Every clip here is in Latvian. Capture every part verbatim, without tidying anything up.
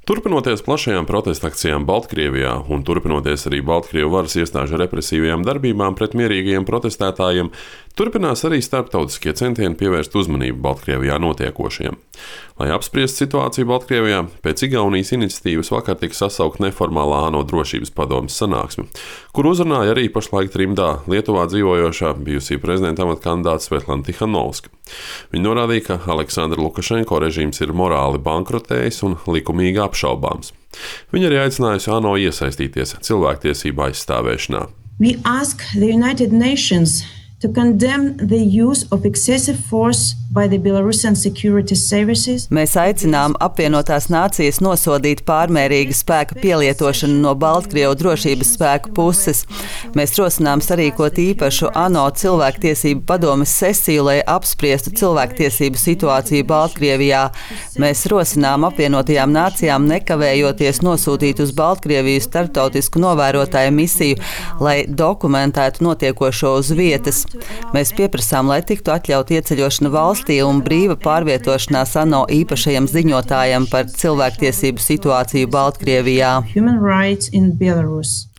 Turpinoties plašajām protesta akcijām Baltkrievijā un turpinoties arī Baltkrievu varas iestāžu represīvajām darbībām pret mierīgajiem protestētājiem, turpinās arī starptautiskie centieni pievērst uzmanību Baltkrievijā notiekošajam. Lai apspriestu situāciju Baltkrievijā, pēc Igaunijas iniciatīvas vakar tika sasaukt neformālā ANO drošības padomes sanāksme, kur uzrunāja arī pašlaik trimdā Lietuvā dzīvojošā bijusī prezidenta amata kandidāte Svetlana Tihanovska. Viņa norādīja, ka Aleksandra Lukašenko režīms ir morāli bankrotējis un likumīgi apšaubāms. Viņa arī aicinājusi ANO iesaistīties cilvēktiesību aizstāvēšanā. We ask the United Nations to condemn the use of excessive force by the Belarusian security services. Mēs aicinām apvienotās nācijas nosodīt pārmērīgu spēka pielietošanu no Baltkrievu drošības spēku puses. Mēs rosinām sarīkot īpašu ANO cilvēktiesību padomes sesiju, lai apspriestu cilvēktiesību situāciju Baltkrievijā. Mēs rosinām apvienotajām nācijām nekavējoties nosūtīt uz Baltkrieviju starptautisku novērotāju misiju, lai dokumentētu notiekošo uz vietas. Mēs pieprasām, lai tiktu atļaut ieceļošana valstī un brīva pārvietošanās ANO īpašajam ziņotājam par cilvēktiesību situāciju Baltkrievijā.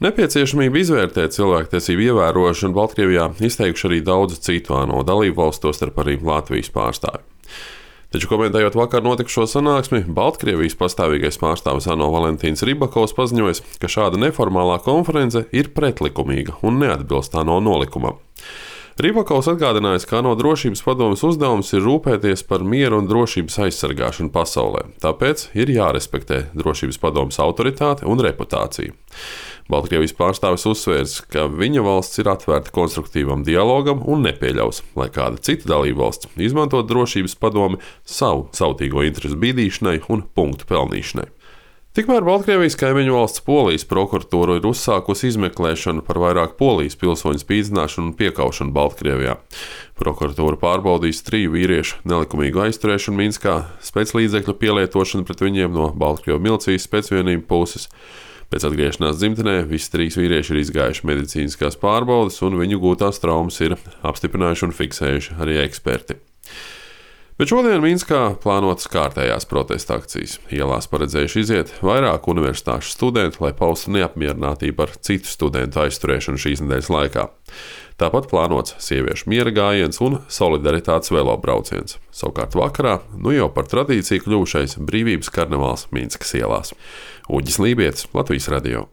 Nepieciešamību izvērtēt cilvēktiesību ievērošanu Baltkrievijā izteikuši arī daudzu citu ANO dalību valstu, tostarp arī Latvijas pārstāvi. Taču komentējot vakar notikušo sanāksmi, Baltkrievijas pastāvīgais pārstāvis ANO Valentīns Ribakovs paziņoja, ka šāda neformālā konference ir pretlikumīga un neatbilst ANO nolikumam. Ribakovs atgādinājis, ka ANO drošības padomes uzdevums ir rūpēties par mieru un drošības aizsargāšanu pasaulē, tāpēc ir jārespektē drošības padomes autoritāte un reputācija. Baltkrievijas pārstāvis uzsvērs, ka viņa valsts ir atvērta konstruktīvam dialogam un nepieļaus, lai kāda cita dalībvalsts izmantot drošības padomi savu sautīgo interesu bīdīšanai un punktu pelnīšanai. Tikmēr Baltkrievijas kaimiņu valsts Polijas prokuratūra ir uzsākusi izmeklēšanu par vairāk Polijas pilsoņu spīdzināšanu un piekaušanu Baltkrievijā. Prokuratūra pārbaudīs triju vīriešu nelikumīgu aizturēšanu Minskā, spēclīdzekļu pielietošanu pret viņiem no Baltkrievu milicijas spēcvienību puses. Pēc atgriešanās dzimtenē visi trīs vīrieši ir izgājuši medicīniskās pārbaudes, un viņu gūtās traumas ir apstiprinājuši un fiksējuši arī eksperti. Bet šodien Minskā plānotas kārtējās protesta akcijas. Ielās paredzējuši iziet vairāk universitāšu studentu, lai paustu neapmierinātību ar citu studentu aizturēšanu šīs nedēļas laikā. Tāpat plānots sieviešu miera gājiens un solidaritātes velobrauciens. Savukārt vakarā, nu jau par tradīciju kļuvušais brīvības karnevāls Minskas ielās. Uģis Lībietis, Latvijas radio.